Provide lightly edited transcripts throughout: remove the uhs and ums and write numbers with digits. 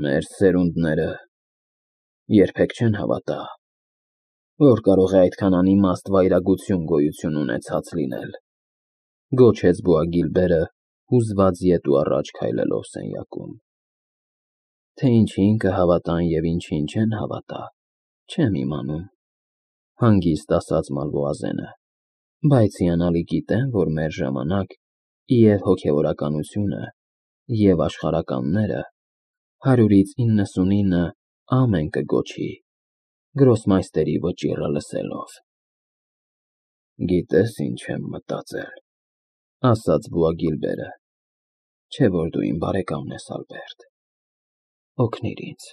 Մեր սերունդները երբեք չեն հավատա, որ կարող է այդքան անիմաստ վայրագություն գոյություն ունեցած լինել, գոչեց Բոագիլբերը, հուզված ետ ու առաջ քայլելով սենյակում։ Թե ինչին կհավատան և ինչին չեն հավատա, չեմ իմանում, հանգիստ ասաց Մալվոազենը, բայց հիանալի գիտեմ, որ մեր ժամանակ և հոգևորականությունը, և աշխարհականները 100-ից 99 ամեն կգոչի, գրոսմայստերի վճիռը լսելով։ Գիտես ինչ եմ մտածել, ասաց Բոագիլբերը, չէ՞ որ դու իմ բարեկամն ես, Ալբերտ, օգնիր ինձ,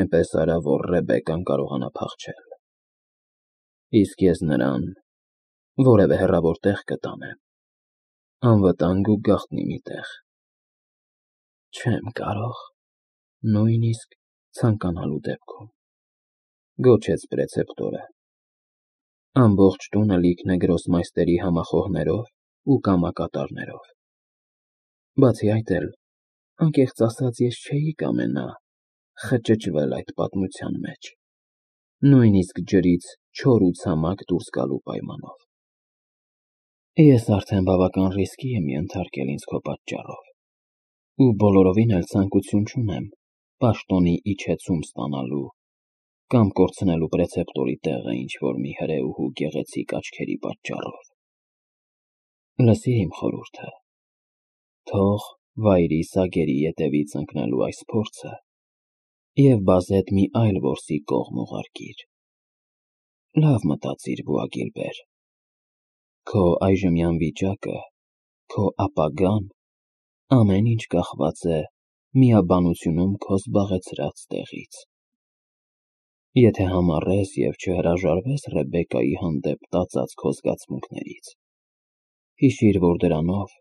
այնպես արա, որ Ռեբեկկան կարողանա փախչել, իսկ ես նրան որևէ հեռավոր տեղ կտանեմ, անվտանգ ու գաղտնի մի տեղ։ Չեմ կարող, նույնիսկ ցանկանալու դեպքում, գոչեց պրեցեպտորը։ Ամբողջ տունը լիքն է գրոսմայստերի համախոհներով ու կամակատարներով։ Բացի այդ էլ, անկեղծ ասած, ես չէի կամենա խճճվել այդ պատմության մեջ, նույնիսկ ջրից չոր ու ցամաք դուրս գալու պայմանով։ Ես արդեն բավական ռիսկի եմ ենթարկել ինձ քո պատճառով, ու բոլորովին էլ ցանկություն չունեմ պաշտոնի իջեցում ստանալու կամ կորցնելու պրեցեպտորի տեղը ինչ-որ մի հրեուհու գեղեցիկ աչքերի պատճառով։ Լսիր իմ խորհուրդը, թող վայրի սագերի ետևից ընկնելու այս փորձը և բազետ մի այլ որսի կողմ ուղարկիր։ Լավ մտածիր, Բոագիլբեր, քո այժմյան վիճակը, քո ապագան, ամեն ինչ կախված է միաբանությունում քո զբաղեցրած տեղից։ Եթե համառես և չհրաժարվես Ռեբեկկայի հանդեպ տածած քո զգացմունքներից, հիշիր, որ դրանով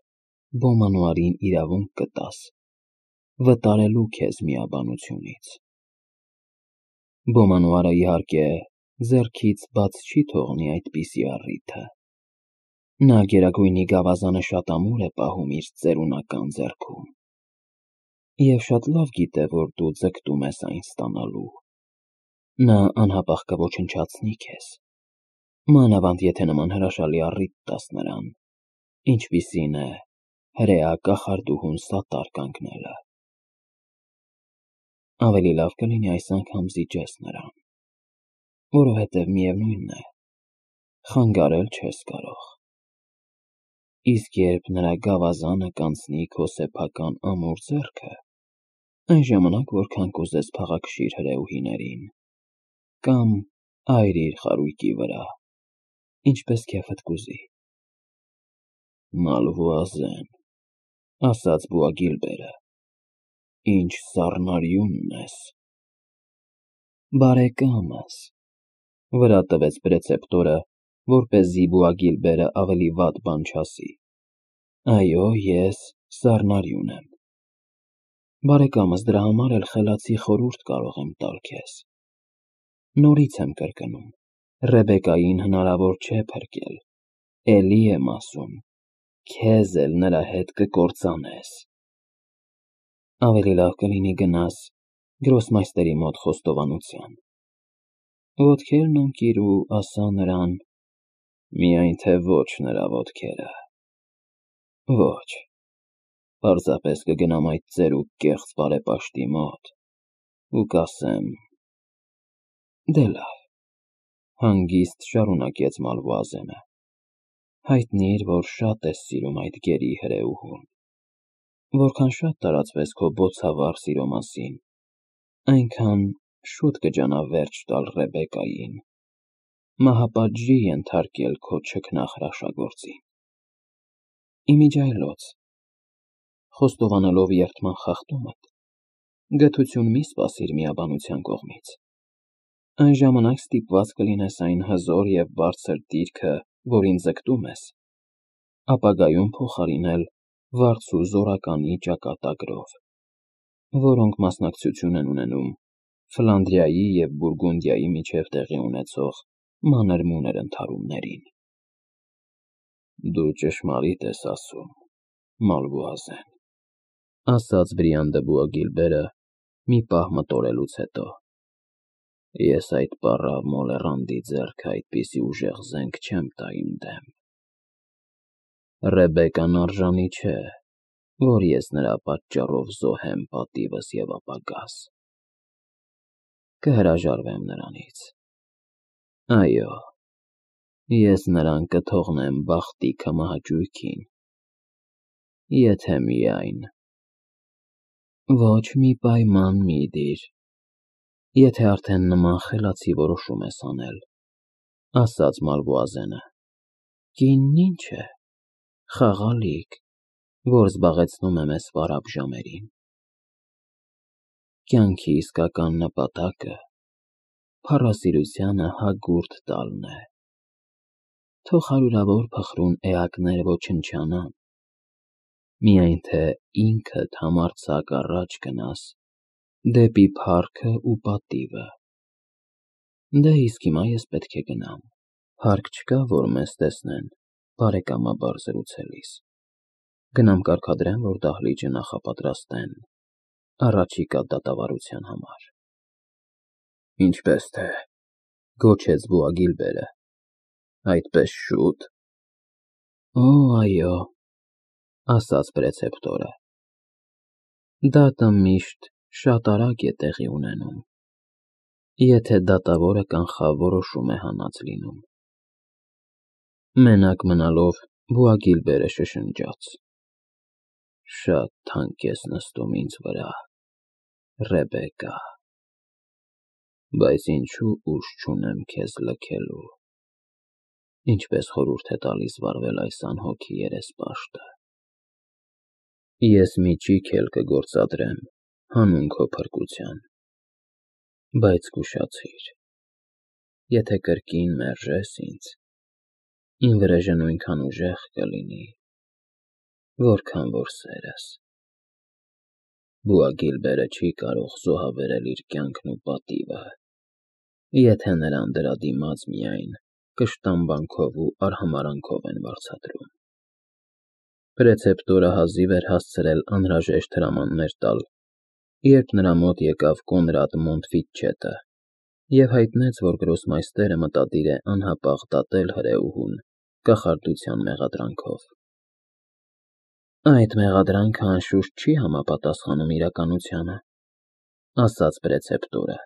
Բոմանոարին իրավունք կտաս վտարելու քեզ միաբանությունից։ Բոմանոարը, իհարկե, ձեռքից բաց չի թողնի այդպիսի առիթը։ Նա Գերագույնի գավազանը շատ ամուր է պահում իր ծերունական ձեռքում և շատ լավ գիտե, որ դու ձգտում ես այն ստանալու։ Նա անհապաղ կոչնչացնի քեզ, մանավանդ եթե նման հրաշալի առիթ տաս նրան, ինչպիսին է հրեա կախարդուհուն սատար կանգնելը։ Ավելի լավ կլինի այս անգամ զիջես նրան, որովհետև միևնույն է, խանգարել չես կարող։ Իսկ երբ նրա գավազանը կանցնի քո սեփական ամուր ձեռքը, այն ժամանակ որքան կուզես փաղաքշիր հրեուհիներին կամ այրիր խարույկի վրա, ինչպես քեֆդ կուզի։ Մալվոազեն, ասաց Բոագիլբերը, ինչ սառնարյունն ես։ Բարեկամս, վրա տվեց պրեցեպտորը, որպեսզի Բոագիլբերը ավելի վատ բան չասի։ Այո, ես սառնարյուն եմ։ Բարեկամս, դրա համար էլ խելացի խորհուրդ կարող եմ տալ քեզ։ Նորից եմ կրկնում, Ռեբեկկային հնարավոր չէ փրկել, էլի եմ ասում, քեզ էլ նրա հետ կկործանես։ Ավելի լավ կլինի գնաս գրոսմայստերի մոտ խոստովանության, ոտքերն ընկիր ու ասա նրան, միայն թե ոչ նրա ոտքերը։ Ոչ, պարզապես կգնամ այդ ծերուկ կեղծ բարեպաշտի մոտ ու կասեմ. Դե լավ, հանգիստ շարունակեց Մալվոազենը, հայտնիր, որ շատ ես սիրում այդ գերի հրեուհուն, որքան շատ տարածվես քո բոցավառ սիրո մասին, այնքան շուտ կջանա վերջ տալ Ռեբեկկային, մահապատժի ենթարկել քո չքնաղ հրաշագործին։ Իմիջիայլոց, խոստովանելով երդման խախտումդ, գթություն մի սպասիր միաբանության կողմից, այն ժամանակ ստիպված կլինես այն հզոր և բարձր դիրքը, որին ձգտում ես, ապագայում փոխարինել վարձու զորականի ճակատագրով, որոնք մասնակցություն են ունենում Ֆլանդրիայի և Բուրգունդիայի միջև տեղի ունեցող մանր-մունր ընդհարումներին։ Դու ճշմարիտ ես ասում, Մալվոազեն, ասաց Բրիանդեբուա Գիլբերը մի պահ մտորելուց հետո։ Ես այդ պառավ Մոլեռանդի ձեռքը այդպիսի ուժեղ զենք չեմ տա իմ դեմ։ Ռեբեկան արժանի չէ, որ ես նրա պատճառով զոհեմ պատիվս և ապագաս։ Կհրաժարվեմ նրանից։ Այո, ես նրան կթողնեմ բախտի քմահաճույքին, եթե միայն… Ոչ մի պայման մի դիր, եթե արդեն նման խելացի որոշում ես անել, ասաց Մալվոազենը, կինն ինչ է, խաղալիք, որ զբաղեցնում է մեզ վարապ ժամերին։ Կյանքի իսկական նպատակը փառասիրությանը հագուրդ տալն է։ Թող հարյուրավոր փխրուն էակներ ոչնչանան, միայն թե ինքդ համարձակ առաջ գնաս դեպի փառքը ու պատիվը։ Դե իսկ հիմա ես պետք է գնամ, հարկ չկա, որ մեզ տեսնեն բարեկամաբար զրուցելիս։ Գնամ կարգադրեմ, որ դահլիճը նախապատրաստեն առաջիկա դատավարության համար։ Ինչպես թե, գոչեց բուա Գիլբերը, այդպես շուտ… Օ, այո, ասաց պրեցեպտորը, դատը միշտ շատ արագ է տեղի ունենում, եթե դատավորը կանխավ որոշում է հանած լինում։ Մենակ մնալով բուա Գիլբերը շշնջաց. Շատ թանկ ես նստում ինձ վրա, Ռեբեկա, բայց ինչու ուժ չունեմ քեզ լքելու, ինչպես խորհուրդ է տալիս վարվել այս անհոգի երեսպաշտը։ Ես մի ճիգ էլ կգործադրեմ հանուն քո փրկության, բայց զգուշացիր, եթե կրկին մերժես ինձ, իմ վրեժը նույնքան ուժեղ կլինի, որքան որ սերս։ Բուա Գիլբերը չի կարող զոհաբերել իր կյանքն ու պատիվը, եթե նրան դրա դիմաց միայն կշտամբանքով ու արհամարհանքով են վարձատրում։ Պրեցեպտորը հազիվ էր հասցրել անհրաժեշտ հրամաններ տալ, երբ նրա մոտ եկավ Կոնրադ Մոնտֆիտչետը և հայտնեց, որ գրոսմայստերը մտադիր է անհապաղ դատել հրեուհուն կախարդության մեղադրանքով։ Այդ մեղադրանքը անշուշտ չի համապատասխանում իրականությանը, ասաց պրեցեպտորը։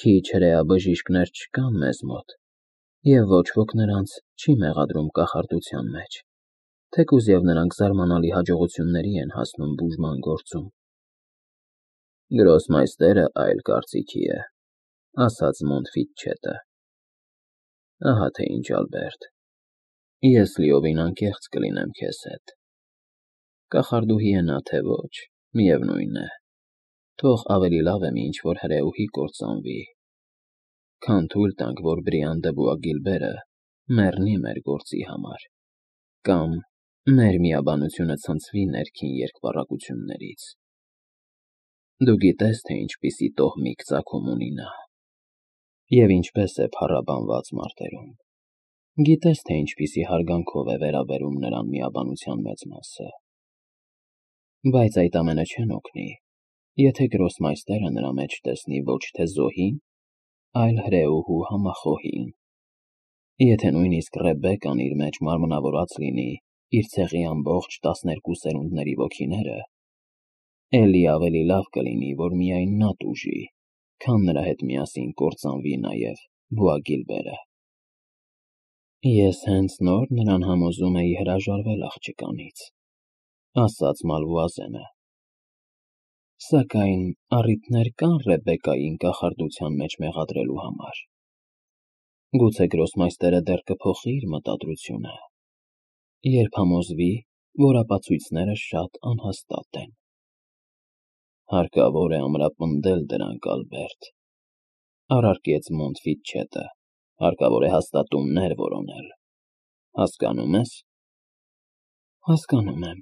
Քիչ հրեաբժիշկներ չկան մեզ մոտ, և ոչ ոք նրանց չի մեղադրում կախարդության մեջ, թեկուզ և նրանք զարմանալի հաջողությունների են հասնում բուժման գործում։ Գրոսմայստերը այլ կարծիքի է, ասաց Մոնտֆիտչետը։ Ահա թե ինչ, Ալբերտ, ես լիովին անկեղծ կլինեմ քեզ հետ։ Կախարդուհի է նա, թե ոչ, միևնույն է, թող ավելի լավ է մի ինչ-որ հրեուհի կործանվի, քան թույլ տանք, որ Բրիանդեբուա Գիլբերը մեռնի մեր գործի համար, կամ մեր միաբանությունը ցնցվի ներքին երկպառակություններից։ Դու գիտես, թե ինչպիսի տոհմիկ ծագում ունի նա, և ինչպես է փառաբանված մարտերում, գիտես, թե ինչպիսի հարգանքով է վերաբերում նրան միաբանության մեծ մասը։ Բայց այդ ամենը չեն օգնի, եթե գրոսմայստերը նրա մեջ տեսնի ոչ թե զոհին, այլ հրեուհու համախոհին, եթե նույնիսկ Ռեբեկան իր մեջ մարմնավորած լինի իր ցեղի ամբողջ 12 սերունդների ոգիները, էլի ավելի լավ կլինի, որ միայն նա տուժի, քան նրա հետ միասին կործանվի նաև բուա Գիլբերը։ Ես հենց նոր նրան համոզում էի հրաժարվել աղջկանից, ասաց Մալվոազենը։ Սակայն առիթներ կան Ռեբեկային կախարդության մեջ մեղադրելու համար։ Գուցե գրոսմայստերը դեռ կփոխի իր մտադրությունը, երբ համոզվի, որ ապացույցները շատ անհաստատ են։ Հարկավոր է ամրապնդել դրանք, Ալբերտ, առարկեց Մոնտֆիտչետը, հարկավոր է հաստատումներ որոնել։ Հասկանո՞ւմ ես։ Հասկանում եմ,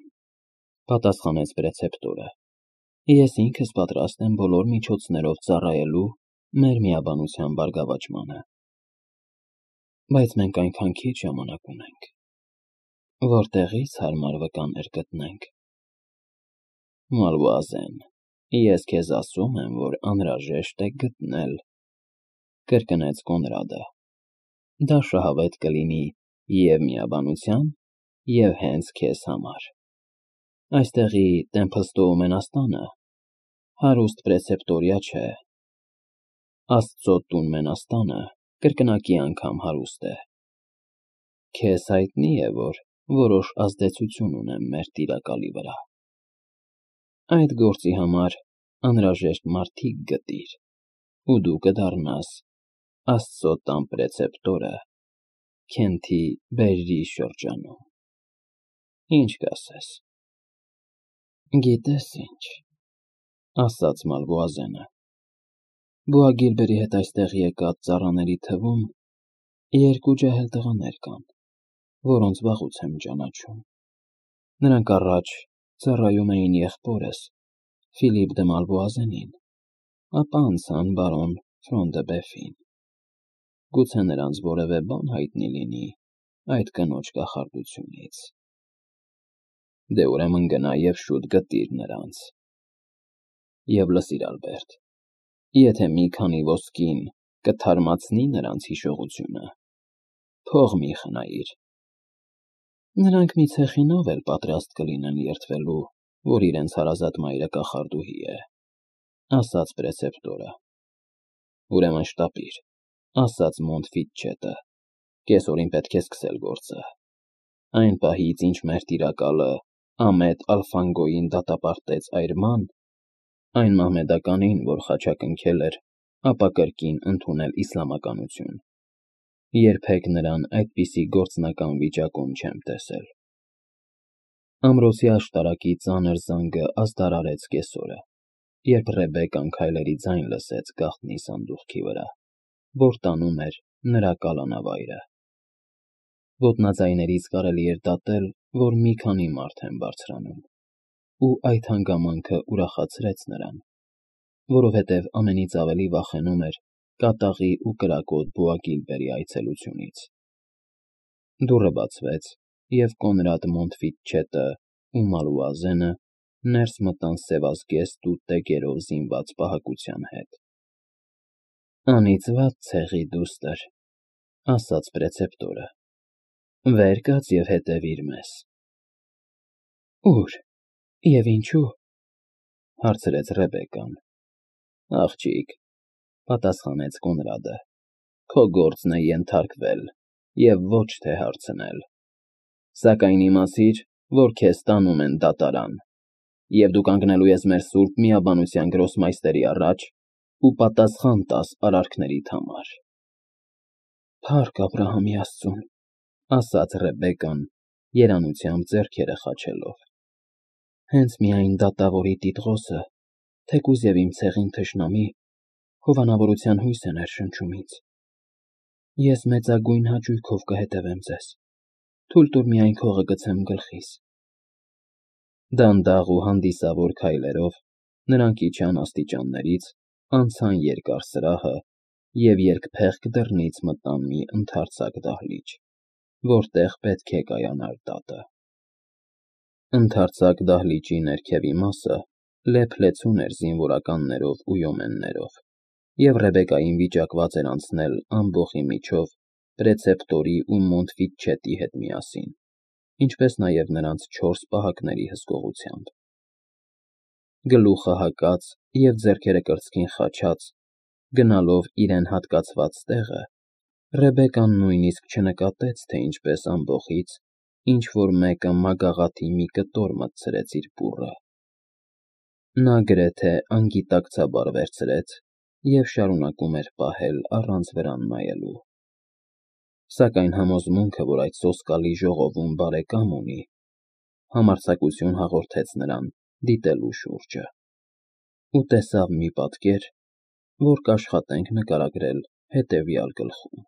պատասխանեց պրեցեպտորը։ Ես ինքս պատրաստ եմ բոլոր միջոցներով ծառայելու մեր միաբանության բարգավաճմանը։ Բայց մենք այնքան քիչ ժամանակ ունենք, որտեղի՞ց հարմար վկաներ գտնենք։ Մալուազեն, ես քեզ ասում եմ, որ անհրաժեշտ է գտնել, կրկնեց Կոնրադը։ Դա շահավետ կլինի և միաբանության, և հենց քեզ համար։ Այստեղի Տեմփլստոու մենաստանը հարուստ պրեցեպտորիա չէ։ Աստծո տուն մենաստանը կրկնակի անգամ հարուստ է։ Քեզ հայտնի է, որ որոշ ազդեցություն ունեմ մեր տիրակալի վրա։ Այդ գործի համար անհրաժեշտ մարդիկ գտիր, ու դու կդառնաս Աստծո տան պրեցեպտորը Քենթի Բերրի շրջանում։ Ինչ կասես։ Գիտես ինչ, ասաց Մալվոազենը, Բուա Գիլբերի հետ այստեղ եկած ծառաների թվում երկու ջահել տղաներ կան, որոնց վաղուց եմ ճանաչում։ Նրանք առաջ ծառայում էին եղբորս, Ֆիլիպ դը Մալվոազենին, ապա անցան բարոն Ֆրոն դը Բեֆին։ Գուցե նրանց որևէ բան հայտնի լինի այդ կնոջ կախարդությունից։ Դե ուրեմն գնա և շուտ գտիր նրանց։ Եվ լսիր, Ալբերտ, եթե մի քանի ոսկին կթարմացնի նրանց հիշողությունը, փող մի խնայիր։ Նրանք մի ցեխինով էլ պատրաստ կլինեն երդվելու, որ իրենց հարազատ մայրը կախարդուհի է, ասաց պրեցեպտորը։ Ուրեմն շտապիր, ասաց Մոնտֆիտչետը, կեսօրին պետք է սկսել գործը։ Այն պահից, ինչ մեր տիրակալը Ամետ Ալֆանգոյին դատապարտեց այրման, այն մահմեդականին, որ խաչակնքել էր, ապա կրկին ընդունել իսլամականություն, երբեք նրան այդպիսի գործնական վիճակում չեմ տեսել։ Ամրոցի աշտարակի ծանր զանգը ազդարարեց կեսօրը, երբ Ռեբեկան քայլերի ձայն լսեց գաղտնի սանդուղքի վրա, որ տանում էր նրա կալանավայրը։ Ոտնաձայներից կարելի էր դատել, որ մի քանի մարդ են բարձրանում, ու այդ հանգամանքը ուրախացրեց նրան, որովհետև ամենից ավելի վախենում էր կատաղի ու կրակոտ Բուա Գիլբերի այցելությունից։ Դուռը բացվեց, և Կոնրադ Մոնտֆիտչետը ու Մալուազենը ներս մտան սևազգեստ ու տեկերով զինված պահակության հետ։ Անիծված ցեղի դուստր, ասաց պրեցեպտորը, վեր կաց և հետևիր մեզ։ Ուր և ինչու, հարցրեց Ռեբեկան։ Աղջիկ, պատասխանեց Կոնրադը, քո գործն է ենթարկվել և ոչ թե հարցնել։ Սակայն իմացիր, որ քեզ տանում են դատարան, և դու կանգնելու ես մեր սուրբ միաբանության գրոսմայստերի առաջ ու պատասխան տաս արարքներիդ համար։ Փառք Աբրահամի Աստծուն, ասաց Ռեբեկան, երանությամբ ձեռքերը խաչելով։ Հենց միայն դատավորի տիտղոսը, թեկուզ և իմ ցեղին թշնամի, հովանավորության հույս է ներշնչում ինձ։ Ես մեծագույն հաճույքով կհետևեմ ձեզ, թույլ տուր միայն քողը գցեմ գլխիս։ Դանդաղ ու հանդիսավոր քայլերով նրանք իջան աստիճաններից, անցան երկար սրահը և երկփեղկ դռնից մտան մի ընդարձակ դահլիճ, որտեղ պետք է կայանար դատը։ Ընդարձակ դահլիճի ներքևի մասը լեփ-լեցուն էր զինվորականներով ու յոմեններով, և Ռեբեկային վիճակված էր անցնել ամբոխի միջով պրեցեպտորի ու Մոնտֆիտչետի հետ միասին, ինչպես նաև նրանց 4 պահակների հսկողությամբ։ Գլուխը հակած և ձեռքերը կրծքին խաչած, գնալով իրեն հատկացված տեղը, Ռեբեկան նույնիսկ չնկատեց, թե ինչպես ամբոխից ինչ-որ մեկը մագաղաթի մի կտոր մտցրեց իր բուռը։ Նա գրեթե անգիտակցաբար վերցրեց և շարունակում էր պահել առանց վրան նայելու։ Սակայն համոզմունքը, որ այդ սոսկալի ժողովում բարեկամ ունի, համարձակություն հաղորդեց նրան դիտելու շուրջը, ու տեսավ մի պատկեր, որ կաշխատենք նկարագրել հետևյալ գլխում։